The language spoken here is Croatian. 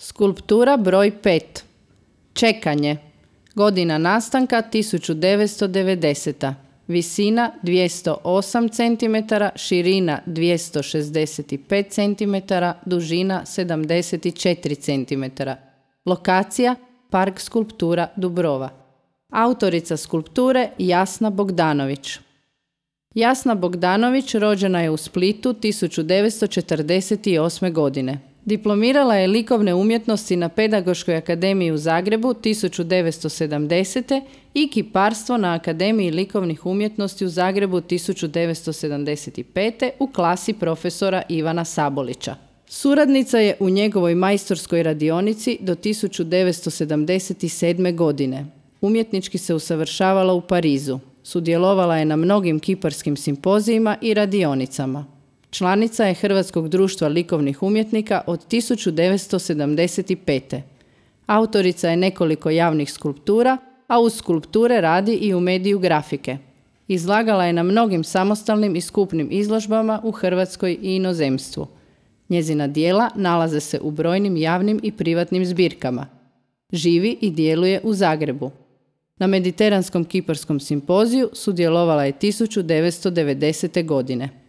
Skulptura broj 5. Čekanje. Godina nastanka 1990. Visina 208 cm, širina 265 cm, dužina 74 cm. Lokacija Park skulptura Dubrova. Autorica skulpture Jasna Bogdanović. Jasna Bogdanović rođena je u Splitu 1948. godine. Diplomirala je likovne umjetnosti na Pedagoškoj akademiji u Zagrebu 1970. i kiparstvo na Akademiji likovnih umjetnosti u Zagrebu 1975. u klasi profesora Ivana Sabolića. Suradnica je u njegovoj majstorskoj radionici do 1977. godine. Umjetnički se usavršavala u Parizu. Sudjelovala je na mnogim kiparskim simpozijima i radionicama. Članica je Hrvatskog društva likovnih umjetnika od 1975. Autorica je nekoliko javnih skulptura, a uz skulpture radi i u mediju grafike. Izlagala je na mnogim samostalnim i skupnim izložbama u Hrvatskoj i inozemstvu. Njezina djela nalaze se u brojnim javnim i privatnim zbirkama. Živi i djeluje u Zagrebu. Na Mediteranskom kiparskom simpoziju sudjelovala je 1990. godine.